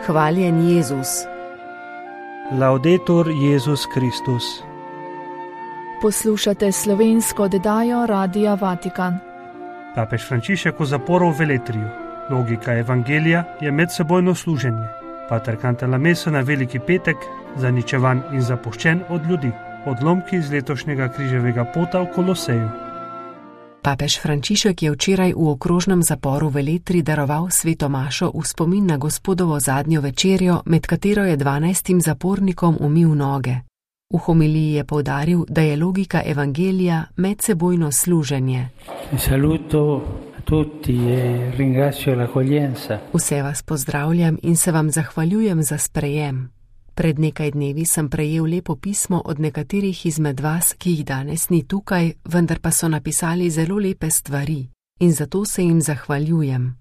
Hvaljen Jezus. Laudetur Jezus Kristus. Poslušate slovensko oddajo Radia Vatikan. Papež Frančišek v zaporu v Veletriju. Logika evangelija je medsebojno služenje. Pater Cantalamessa na Veliki petek, zaničevan in zapuščen od ljudi. Odlomki iz letošnjega križevega pota v Koloseju. Papež Frančišek je včeraj v okrožnem zaporu v Veletri daroval sveto mašo v spomin na Gospodovo zadnjo večerjo, med katero je 12 zapornikom umil noge. V homiliji je poudaril, da je logika evangelija medsebojno služenje. Saluto tutti e ringrazio l'accoglienza. Vse vas pozdravljam in se vam zahvaljujem za sprejem. Pred nekaj dnevi sem prejel lepo pismo od nekaterih izmed vas, ki jih danes ni tukaj, vendar pa so napisali zelo lepe stvari in zato se jim zahvaljujem.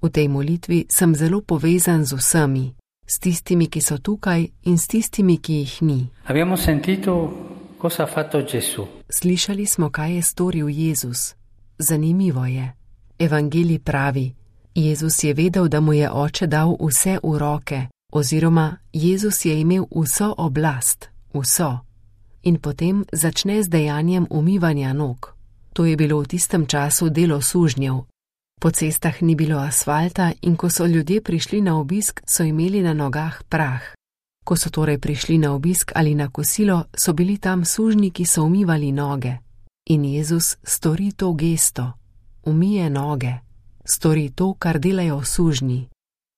V tej molitvi sem zelo povezan z vsemi, s tistimi, ki so tukaj in s tistimi, ki jih ni. Abbiamo sentito cosa ha fatto Gesù. Slišali smo, kaj je storil Jezus. Zanimivo je. Evangelij pravi, Jezus je vedel, da mu je Oče dal vse v roke, oziroma Jezus je imel vso oblast, vso. In potem začne z dejanjem umivanja nog. To je bilo v tistem času delo sužnjev. Po cestah ni bilo asfalta in ko so ljudje prišli na obisk, so imeli na nogah prah. Ko so torej prišli na obisk ali na kosilo, so bili tam sužnji, ki so umivali noge. In Jezus stori to gesto, umije noge, stori to, kar delajo sužnji.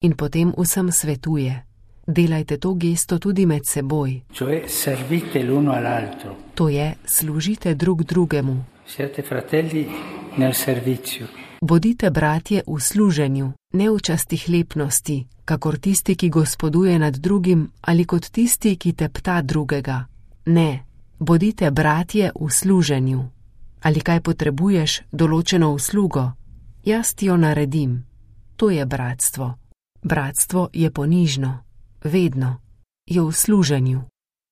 In potem vsem svetuje. Delajte to gesto tudi med seboj. Cioè servite l'uno all'altro. To je, služite drug drugemu. Siete fratelli nel servizio. Bodite bratje v služenju, ne v častihlepnosti, kakor tisti, ki gospoduje nad drugim, ali kot tisti, ki tepta drugega. Ne, bodite bratje v služenju. Ali kaj potrebuješ, določeno uslugo? Jaz ti jo naredim. To je bratstvo. Bratstvo je ponižno, vedno, je v služenju.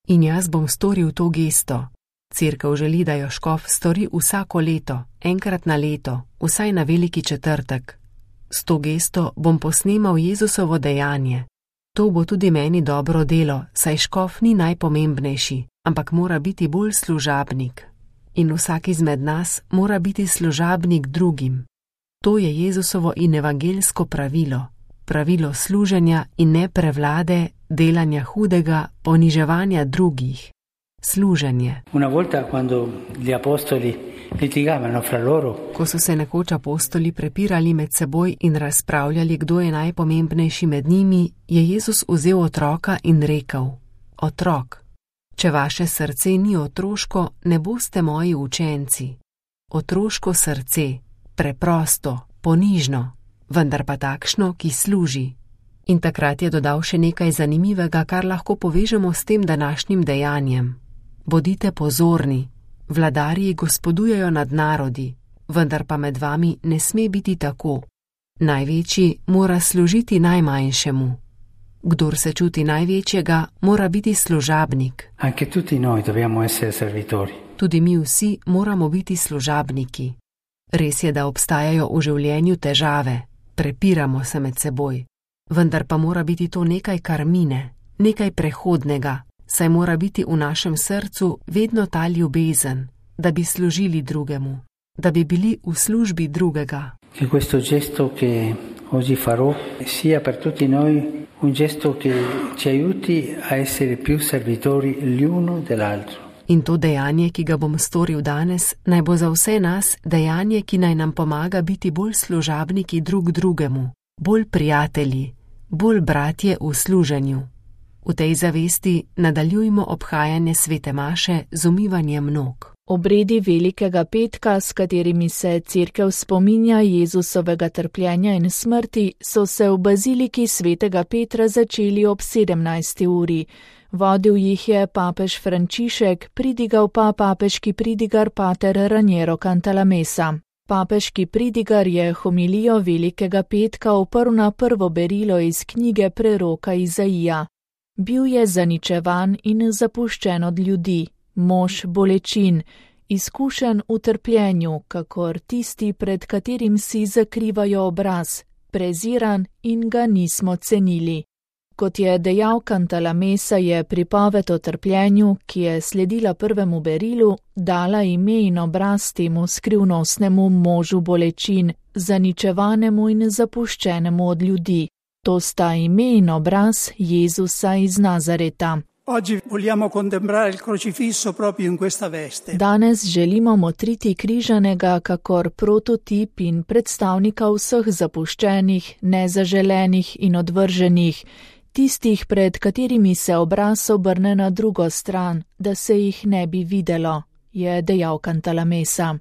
In jaz bom storil to gesto. Cerkev želi, da jo škof stori vsako leto, enkrat na leto, vsaj na Veliki četrtek. S to gesto bom posnemal Jezusovo dejanje. To bo tudi meni dobro delo, saj škof ni najpomembnejši, ampak mora biti bolj služabnik. In vsak izmed nas mora biti služabnik drugim. To je Jezusovo in evangeljsko pravilo. Pravilo služenja in ne prevlade, delanja hudega, poniževanja drugih. Služenje. Una volta quando gli apostoli litigavano fra loro. Ko so se nekoč apostoli prepirali med seboj in razpravljali, kdo je najpomembnejši med njimi, je Jezus vzel otroka in rekel: Otrok, če vaše srce ni otroško, ne boste moji učenci. Otroško srce, preprosto, ponižno, vendar pa takšno, ki služi. In takrat je dodal še nekaj zanimivega, kar lahko povežemo s tem današnjim dejanjem. Bodite pozorni, vladarji gospodujejo nad narodi, vendar pa med vami ne sme biti tako. Največji mora služiti najmanjšemu. Kdor se čuti največjega, mora biti služabnik. Anche tutti noi dobbiamo essere servitori. Tudi mi vsi moramo biti služabniki. Res je, da obstajajo v življenju težave, prepiramo se med seboj. Vendar pa mora biti to nekaj, kar mine, nekaj prehodnega, saj mora biti v našem srcu vedno ta ljubezen, da bi služili drugemu, da bi bili v službi drugega. Che questo gesto che oggi farò sia per tutti noi un gesto che ci aiuti a essere più servitori l'uno dell'altro. In to dejanje, ki ga bom storil danes, naj bo za vse nas dejanje, ki naj nam pomaga biti bolj služabniki drug drugemu, bolj prijatelji, bolj bratje v služenju. V tej zavesti nadaljujmo obhajanje svete maše z umivanjem nog. Obredi Velikega petka, s katerimi se cerkev spominja Jezusovega trpljenja in smrti, so se v baziliki svetega Petra začeli ob 17. uri. Vodil jih je papež Frančišek, pridigal pa papeški pridigar pater Raniero Cantalamessa. Papeški pridigar je homilijo Velikega petka oprl na prvo berilo iz knjige preroka Izaija. Bil je zaničevan in zapuščen od ljudi, mož bolečin, izkušen v trpljenju, kakor tisti, pred katerim si zakrivajo obraz, preziran in ga nismo cenili. Kot je dejal Cantalamessa, je pripoved o trpljenju, ki je sledila prvemu berilu, dala ime in obraz temu skrivnostnemu možu bolečin, zaničevanemu in zapuščenemu od ljudi. To sta ime in obraz Jezusa iz Nazareta. Danes želimo motriti križanega kakor prototip in predstavnika vseh zapuščenih, nezaželenih in odvrženih, tistih, pred katerimi se obraz obrne na drugo stran, da se jih ne bi videlo, je dejal Cantalamessa.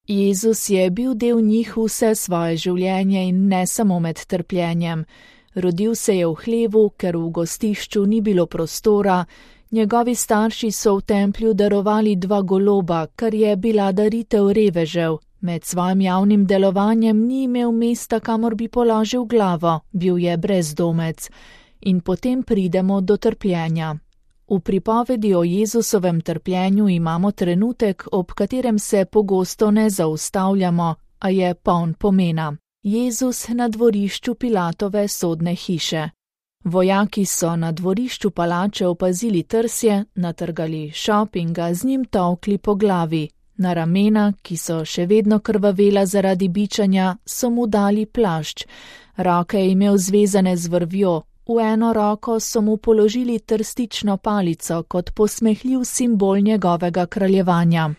Jezus je bil del njih vse svoje življenje in ne samo med trpljenjem. Rodil se je v hlevu, ker v gostišču ni bilo prostora, njegovi starši so v templju darovali 2 goloba, kar je bila daritev revežev. Med svojim javnim delovanjem ni imel mesta, kamor bi položil glavo, bil je brezdomec. In potem pridemo do trpljenja. V pripovedi o Jezusovem trpljenju imamo trenutek, ob katerem se pogosto ne zaustavljamo, a je poln pomena. Jezus na dvorišču Pilatove sodne hiše. Vojaki so na dvorišču palače opazili trsje, natrgali šop in ga z njim tolkli po glavi. Na ramena, ki so še vedno krvavela zaradi bičanja, so mu dali plašč. Roke je imel zvezane z vrvjo, v eno roko so mu položili trstično palico kot posmehljiv simbol njegovega kraljevanja.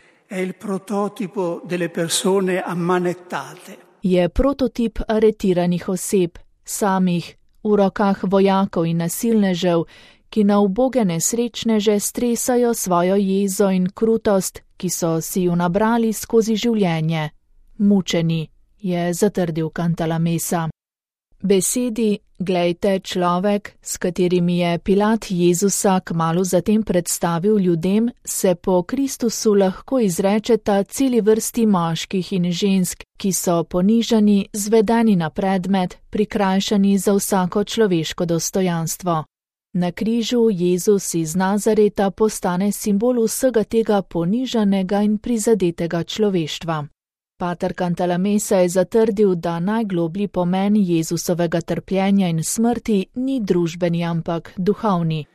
Je prototip aretiranih oseb, samih, v rokah vojakov in nasilnežev, ki na uboge nesrečneže stresajo svojo jezo in krutost, ki so si jo nabrali skozi življenje. Mučeni, je zatrdil Cantalamessa. Besedi, glejte, človek, s katerimi je Pilat Jezusa kmalu zatem predstavil ljudem, se po Kristusu lahko izrečeta celi vrsti moških in žensk, ki so ponižani, zvedeni na predmet, prikrajšani za vsako človeško dostojanstvo. Na križu Jezus iz Nazareta postane simbol vsega tega ponižanega in prizadetega človeštva. Pater Cantalamessa je zatrdil, da najgloblji pomen Jezusovega trpljenja in smrti ni družbeni, ampak duhovni.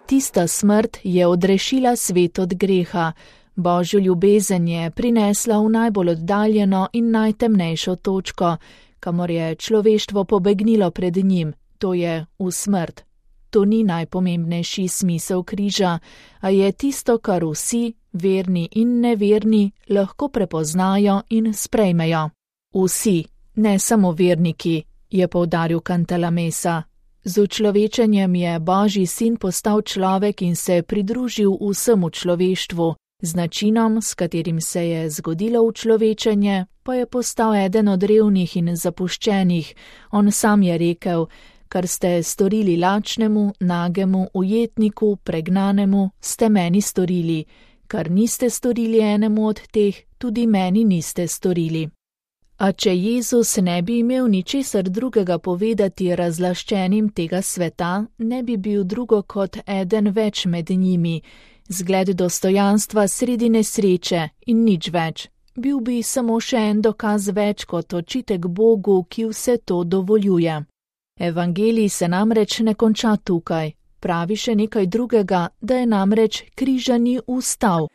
Tista smrt je odrešila svet od greha. Božjo ljubezen je prinesla v najbolj oddaljeno in najtemnejšo točko, kamor je človeštvo pobegnilo pred njim, to je v smrt. To ni najpomembnejši smisel križa, a je tisto, kar vsi, verni in neverni, lahko prepoznajo in sprejmejo. Vsi, ne samo verniki, je poudaril Cantalamessa. Z učlovečenjem je Božji sin postal človek in se pridružil vsemu človeštvu, z načinom, s katerim se je zgodilo učlovečenje, pa je postal eden od revnih in zapuščenih. On sam je rekel: kar ste storili lačnemu, nagemu, ujetniku, pregnanemu, ste meni storili. Kar niste storili enemu od teh, tudi meni niste storili. A če Jezus ne bi imel ničesar drugega povedati razlaščenim tega sveta, ne bi bil drugo kot eden več med njimi, zgled dostojanstva sredi nesreče in nič več. Bil bi samo še en dokaz več kot očitek Bogu, ki vse to dovoljuje. Evangelij se namreč ne konča tukaj. Pravi še nekaj drugega, da je namreč križani vstal.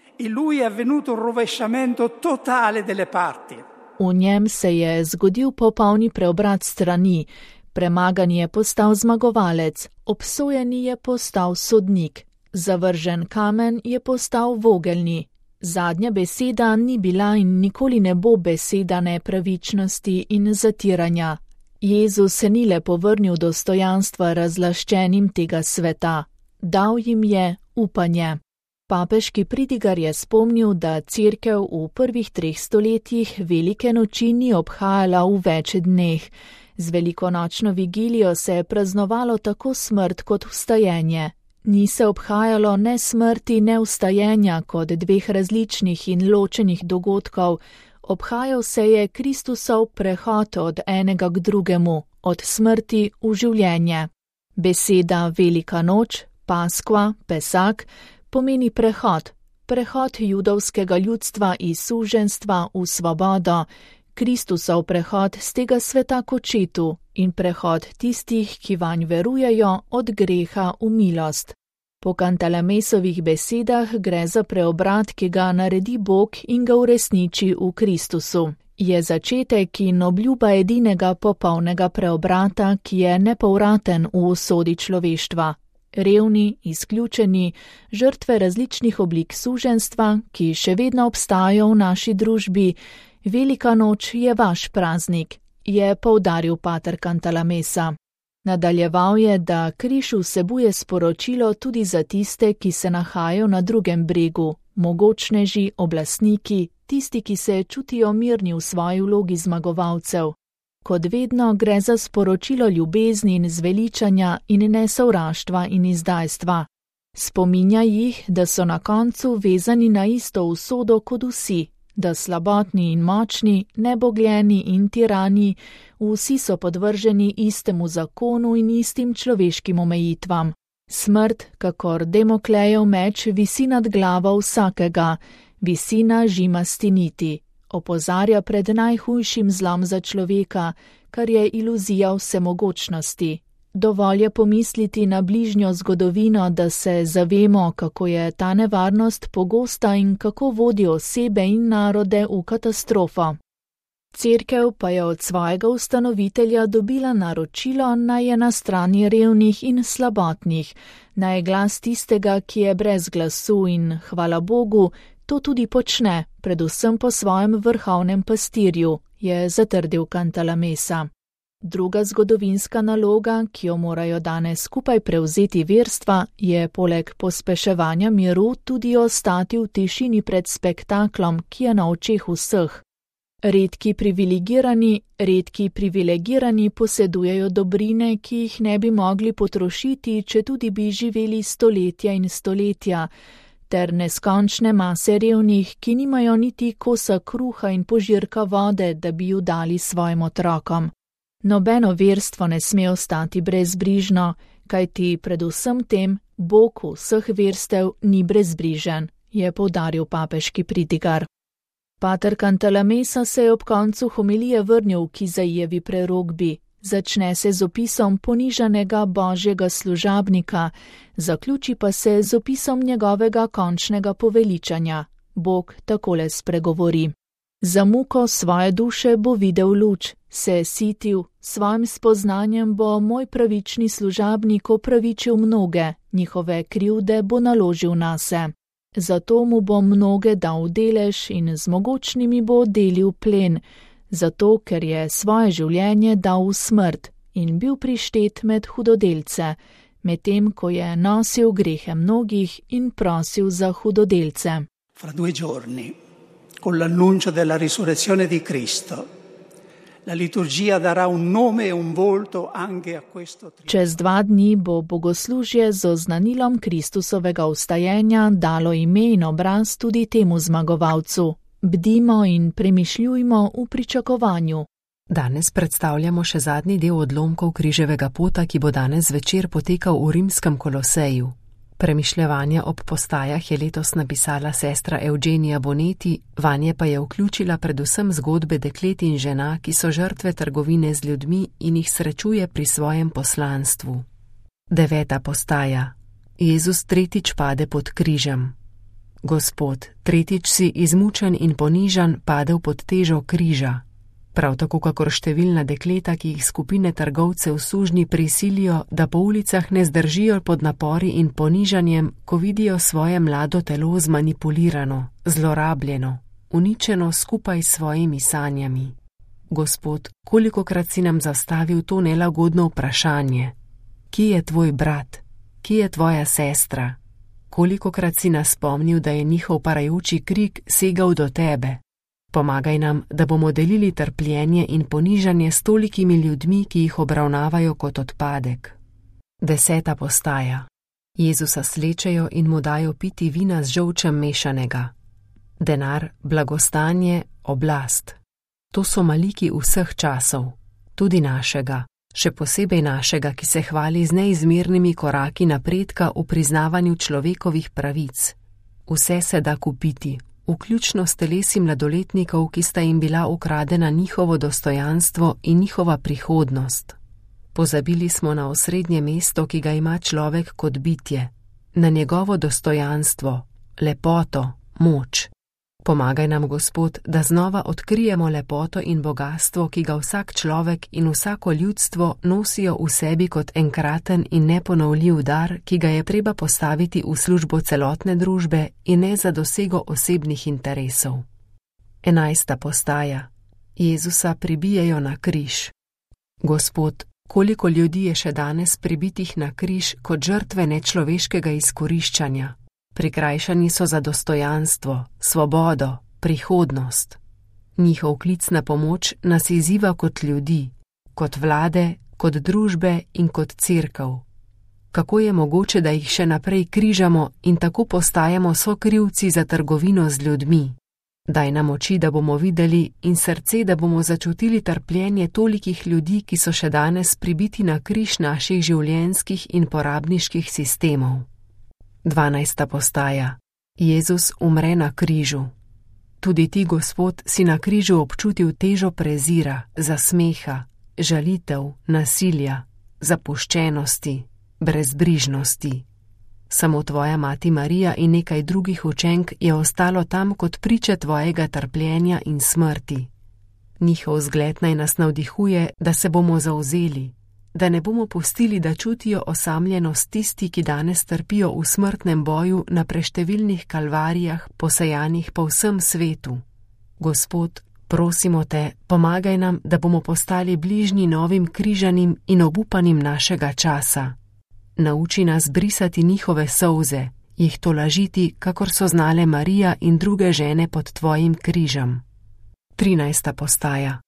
V njem se je zgodil popolni preobrat strani, premagan je postal zmagovalec, obsojeni je postal sodnik, zavržen kamen je postal vogelni. Zadnja beseda ni bila in nikoli ne bo beseda nepravičnosti in zatiranja. Jezus se ni le povrnil dostojanstva razlaščenim tega sveta, dal jim je upanje. Papeški pridigar je spomnil, da cerkev v prvih 3 stoletjih velike noči ni obhajala v več dneh. Z velikonočno vigilijo se je praznovalo tako smrt kot vstajenje. Ni se obhajalo ne smrti, ne vstajenja kot 2 različnih in ločenih dogodkov. Obhajal se je Kristusov prehod od enega k drugemu, od smrti v življenje. Beseda Velika noč, Paskva, Pesak, pomeni prehod judovskega ljudstva iz suženjstva v svobodo. Kristusov prehod z tega sveta k očetu in prehod tistih, ki vanj verujejo, od greha v milost. Po Kantalamesovih besedah gre za preobrat, ki ga naredi Bog in ga uresniči v Kristusu. Je začetek in obljuba edinega popolnega preobrata, ki je nepovraten v usodi človeštva. Revni, izključeni, žrtve različnih oblik suženjstva, ki še vedno obstajajo v naši družbi, Velika noč je vaš praznik, je poudaril pater Cantalamessa. Nadaljeval je, da križ vsebuje sporočilo tudi za tiste, ki se nahajajo na drugem bregu, mogočneži, oblastniki, tisti, ki se čutijo mirni v svoji vlogi zmagovalcev. Kot vedno gre za sporočilo ljubezni in zveličanja in ne sovraštva in izdajstva. Spominja jih, da so na koncu vezani na isto usodo kot vsi, da slabotni in močni, nebogljeni in tirani, vsi so podvrženi istemu zakonu in istim človeškim omejitvam. Smrt, kakor Demoklejev meč, visi nad glavo vsakega, visi na žimasti niti. Opozarja pred najhujšim zlom za človeka, kar je iluzija vsemogočnosti. Dovolj je pomisliti na bližnjo zgodovino, da se zavemo, kako je ta nevarnost pogosta in kako vodi osebe in narode v katastrofo. Cerkev pa je od svojega ustanovitelja dobila naročilo, naj je na strani revnih in slabotnih, naj je glas tistega, ki je brez glasu in, hvala Bogu, to tudi počne, predvsem po svojem vrhovnem pastirju, je zatrdil Cantalamessa. Druga zgodovinska naloga, ki jo morajo danes skupaj prevzeti verstva, je poleg pospeševanja miru tudi ostati v tišini pred spektaklom, ki je na očeh vseh. Redki privilegirani posedujejo dobrine, ki jih ne bi mogli potrošiti, če tudi bi živeli stoletja in stoletja, ter neskončne mase revnih, ki nimajo niti kosa kruha in požirka vode, da bi ju dali svojim otrokom. Nobeno verstvo ne sme ostati brezbrižno, kajti predvsem tem Bog vseh verstev ni brezbrižen, je poudaril papeški pridigar. Pater Cantalamessa se je ob koncu homilije vrnil k Izaijevi prerokbi. Začne se z opisom ponižanega božjega služabnika, zaključi pa se z opisom njegovega končnega poveličanja. Bog takole spregovori. Za muko svoje duše bo videl luč, se je sitil, svojim spoznanjem bo moj pravični služabnik opravičil mnoge, njihove krivde bo naložil nase. Zato mu bo mnoge dal delež in z mogočnimi bo delil plen, zato ker je svoje življenje dal v smrt in bil prištet med hudodelce, medtem ko je nosil grehe mnogih in prosil za hudodelce. Fra 2 giorni, con l'annuncio della risurrezione di Cristo, la liturgia darà un nome e un volto anche a questo trionfo. Čez 2 dni bo bogoslužje z oznanilom Kristusovega vstajenja dalo ime in obraz tudi temu zmagovalcu. Bdimo in premišljujmo v pričakovanju. Danes predstavljamo še zadnji del odlomkov križevega pota, ki bo danes zvečer potekal v rimskem Koloseju. Premišljevanja ob postajah je letos napisala sestra Eugenija Bonetti, vanje pa je vključila predvsem zgodbe deklet in žena, ki so žrtve trgovine z ljudmi in jih srečuje pri svojem poslanstvu. 9. postaja. Jezus tretjič pade pod križem. Gospod, tretjič si izmučen in ponižan padel pod težo križa. Prav tako kakor številna dekleta, ki jih skupine trgovcev sužnji prisilijo, da po ulicah ne zdržijo pod napori in ponižanjem, ko vidijo svoje mlado telo zmanipulirano, zlorabljeno, uničeno skupaj s svojimi sanjami. Gospod, kolikokrat si nam zastavil to nelagodno vprašanje? Kje je tvoj brat? Kje je tvoja sestra? Kolikokrat si nas spomnil, da je njihov parajoči krik segal do tebe? Pomagaj nam, da bomo delili trpljenje in ponižanje s tolikimi ljudmi, ki jih obravnavajo kot odpadek. 10. postaja. Jezusa slečejo in mu dajo piti vina z žolčem mešanega. Denar, blagostanje, oblast. To so maliki vseh časov, tudi našega, še posebej našega, ki se hvali z neizmernimi koraki napredka v priznavanju človekovih pravic. Vse se da kupiti, vključno s telesi mladoletnikov, ki sta jim bila ukradena njihovo dostojanstvo in njihova prihodnost. Pozabili smo na osrednje mesto, ki ga ima človek kot bitje, na njegovo dostojanstvo, lepoto, moč. Pomagaj nam, Gospod, da znova odkrijemo lepoto in bogastvo, ki ga vsak človek in vsako ljudstvo nosijo v sebi kot enkraten in neponovljiv dar, ki ga je treba postaviti v službo celotne družbe in ne za dosego osebnih interesov. 11. postaja. Jezusa pribijejo na križ. Gospod, koliko ljudi je še danes pribitih na križ kot žrtve nečloveškega izkoriščanja. Prikrajšani so za dostojanstvo, svobodo, prihodnost. Njihov klic na pomoč nas izziva kot ljudi, kot vlade, kot družbe in kot cerkev. Kako je mogoče, da jih še naprej križamo in tako postajamo sokrivci za trgovino z ljudmi? Daj nam oči, da bomo videli, in srce, da bomo začutili trpljenje tolikih ljudi, ki so še danes pribiti na križ naših življenjskih in porabniških sistemov. 12. postaja. Jezus umre na križu. Tudi ti, Gospod, si na križu občutil težo prezira, zasmeha, žalitev, nasilja, zapuščenosti, brezbrižnosti. Samo tvoja mati Marija in nekaj drugih učenk je ostalo tam kot priče tvojega trpljenja in smrti. Njihov zgled naj nas navdihuje, da se bomo zavzeli, da ne bomo pustili, da čutijo osamljenost tisti, ki danes trpijo v smrtnem boju na preštevilnih kalvarijah, posejanih po vsem svetu. Gospod, prosimo te, pomagaj nam, da bomo postali bližnji novim križanim in obupanim našega časa. Nauči nas brisati njihove solze, jih tolažiti, kakor so znale Marija in druge žene pod tvojim križem. 13. postaja.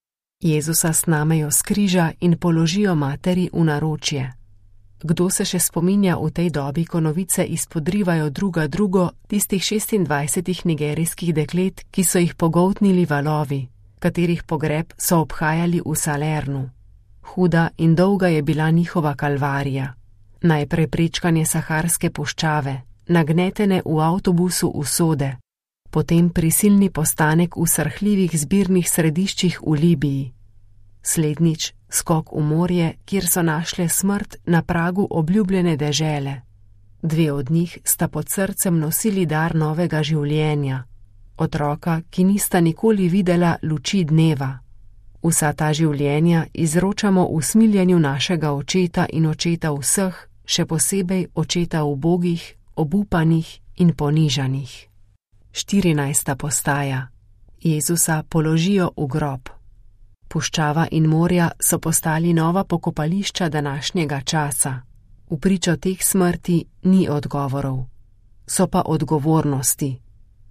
Jezusa snamejo s križa in položijo materi v naročje. Kdo se še spominja v tej dobi, ko novice izpodrivajo druga drugo, tistih 26 nigerijskih deklet, ki so jih pogoltnili valovi, katerih pogreb so obhajali v Salernu. Huda in dolga je bila njihova kalvarija. Najprej prečkanje Saharske puščave, nagnetene v avtobusu usode, potem prisilni postanek v srhljivih zbirnih središčih v Libiji. Slednjič skok v morje, kjer so našle smrt na pragu obljubljene dežele. 2 od njih sta pod srcem nosili dar novega življenja, otroka, ki nista nikoli videla luči dneva. Vsa ta življenja izročamo v smiljenju našega očeta in očeta vseh, še posebej očeta ubogih, obupanih in ponižanih. 14. postaja. Jezusa položijo v grob. Puščava in morja so postali nova pokopališča današnjega časa. V pričo teh smrti ni odgovorov. So pa odgovornosti.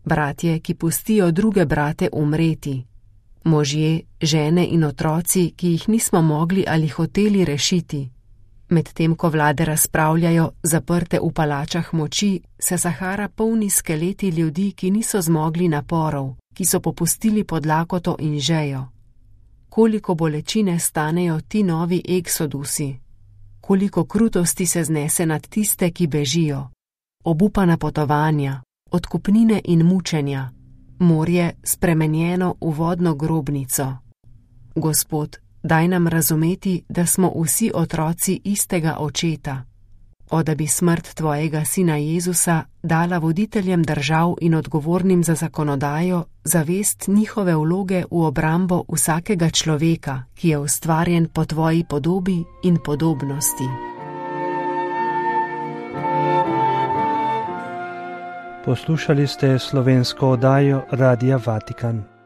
Bratje, ki pustijo druge brate umreti. Možje, žene in otroci, ki jih nismo mogli ali hoteli rešiti. Medtem ko vlade razpravljajo, zaprte v palačah moči, se Sahara polni skeleti ljudi, ki niso zmogli naporov, ki so popustili pod lakoto in žejo. Koliko bolečine stanejo ti novi eksodusi, koliko krutosti se znese nad tiste, ki bežijo, obupana potovanja, odkupnine in mučenja, morje spremenjeno v vodno grobnico. Gospod, daj nam razumeti, da smo vsi otroci istega očeta. O, da bi smrt tvojega sina Jezusa dala voditeljem držav in odgovornim za zakonodajo zavest njihove vloge v obrambo vsakega človeka, ki je ustvarjen po tvoji podobi in podobnosti. Poslušali ste slovensko oddajo Radia Vatikan.